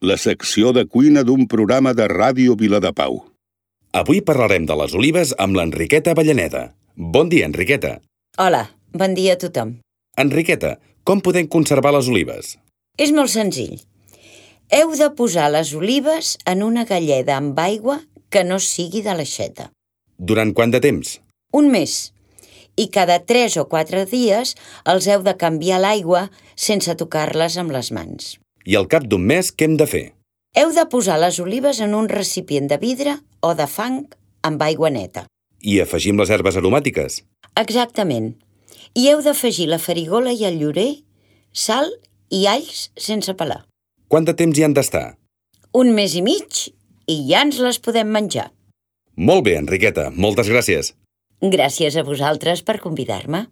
la secció de cuina d'un programa de Ràdio Viladepau. Avui parlarem de les olives amb l'Enriqueta Avellaneda. Bon dia, Enriqueta. Hola, bon dia a tothom. Enriqueta, com podem conservar les olives? És molt senzill. Heu de posar les olives en una galleda amb aigua que no sigui de l'aixeta. Durant quant de temps? Un mes. I cada 3 o 4 dies els heu de canviar l'aigua sense tocar-les amb les mans. I al cap d'un mes, què hem de fer? Heu de posar les olives en un recipient de vidre o de fang amb aigua neta. I afegim les herbes aromàtiques? Exactament. I heu d'afegir la farigola i el llorer, sal i alls sense pelar. Quant de temps hi han d'estar? Un mes i mig i ja ens les podem menjar. Molt bé, Enriqueta. Moltes gràcies. Gràcies a vosaltres per convidar-me.